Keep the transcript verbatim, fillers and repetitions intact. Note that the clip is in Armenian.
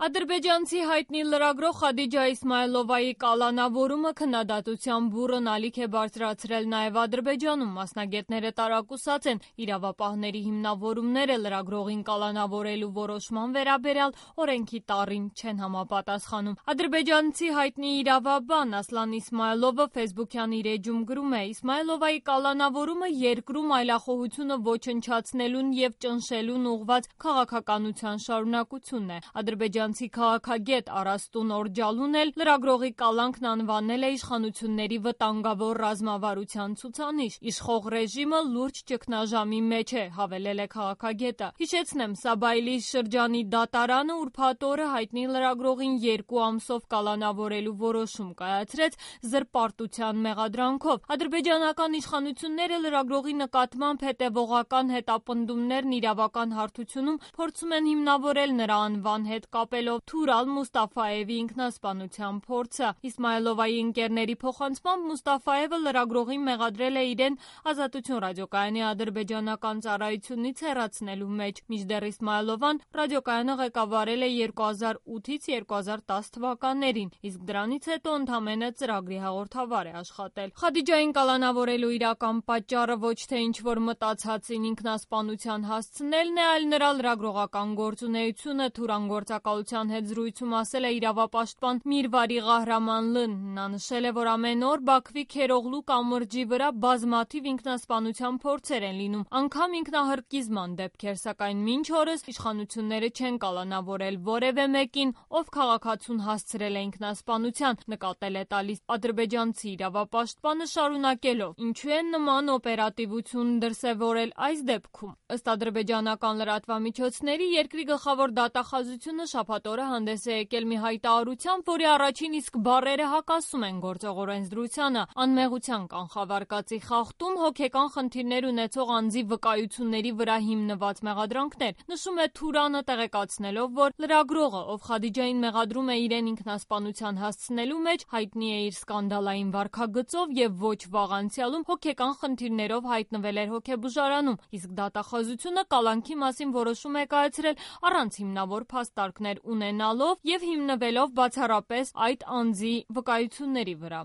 Ադրբեջանցի հայտնի լրագրող Խադիջա Իսմայլովայի կալանավորումը քննադատության բուռն ալիք է բարձրացրել նաև Ադրբեջանում։ Մասնագետները տարակուսած են իրավապահների հիմնավորումները լրագրողին կալանավորելու որոշման վերաբերյալ օրենքի տառին չեն համապատասխանում։ Ադրբեջանցի հայտնի իրավաբան Ասլան Իսմայլովը ֆեյսբուքյան իր էջում գրում է. Իսմայլովայի կալանավորումը երկրում այլախոհությունը ոչնչացնելուն և ճնշելուն ուղղված քաղաքականության շարունակությունն է։ Ադրբեջանցի քաղաքագետ Արաստուն Օրջալուն էլ լրագրողի կալանքն անվանել է իշխանությունների վտանգավոր ռազմավարության ցուցանիշ։ Իշխող ռեժիմը լուրջ ճգնաժամի մեջ է, հավելել է քաղաքագետը։ Հիշեցնեմ, Սաբայլի շրջանի դատարանը ուրբաթ օրը հայտնի լրագրողին երկու ամսով կալանավորելու որոշում կայացրեց զրպարտության մեղադրանքով։ Ադրբեջանական իշխանությունները լրագրողի նկատմամբ հետևողական հետապնդումներն իրավական հարթությունում փորձում են հիմնավորել նրա անվան հետ կապելով Թուրալ Մուստաֆայևի ինքնասպանության փորձը։ Իսմայլովայի ընկերների փոխանցմամբ Մուստաֆայևը լրագրողին մեղադրել է իրեն Ազատություն ռադիոկայանի ադրբեջանական ծառայությունից հեռացնելու մեջ։ Մինչդեռ Իսմայլովան ռադիոկայանը ղեկավարել է երկու հազար ութից երկու հազար տասը թվականներին, իսկ դրանից հետո ընդամենը ծրագրի հաղորդավար է աշխատել։ Խադիջային կալանավորելու իրական պատճառը ոչ թե ինչ-որ մտածածին ինքնասպանության հասցնելն է, այլ նրա լրագրողական գործունեությունը, Թուրան գործակալության հետ զրույցում ասել է իրավապաշտպան Միրվարի Ղահրամանլն։ Նա նշել է, որ ամեն օր Բաքվի Քերօղլու կամրջի վրա բազմաթիվ ինքնասպանության փորձեր են լինում, անգամ ինքնահրկիզման դեպքեր, սակայն մինչ օրս իշխանությունները չեն կալանավորել որևէ մեկին, ով քաղաքացուն հասցրել է ինքնասպանության, նկատել է տալիս ադրբեջանցի իրավապաշտպանը շարունակելով. Ինչու են նման օպերատիվություն դրսևորել այս դեպքում։ Ըստ ադրբեջանական լրատվամիջոցների, երկրի գլխավոր դատախազությունը շաբաթ օրը հանդես է եկել մի հայտարարությամբ, որի առաջին իսկ բառերը հակասում են գործող օրենսդրությանը։ Անմեղության կանխավարկածի խախտում, հոգեկան խնդիրներ ունեցող անձի վկայությունների վրա հիմնված մեղադրանքներ։ Նշում է Թուրանը, տեղեկացնելով, որ լրագրողը, ով Խադիջային մեղադրում է իրեն ինքնասպանության հասցնելու մեջ, հայտնի է իր սկանդալային վարքագծով և ոչ վաղ անցյալում հոգեկան խնդիրներով հայտնվել էր հոգեբուժարանում, իսկ դատախազությունը կալանքի մասին որոշում է կայացրել առանց հիմնավոր փաստարկներ ունենալով և հիմնվելով բացառապես այդ անձի վկայությունների վրա։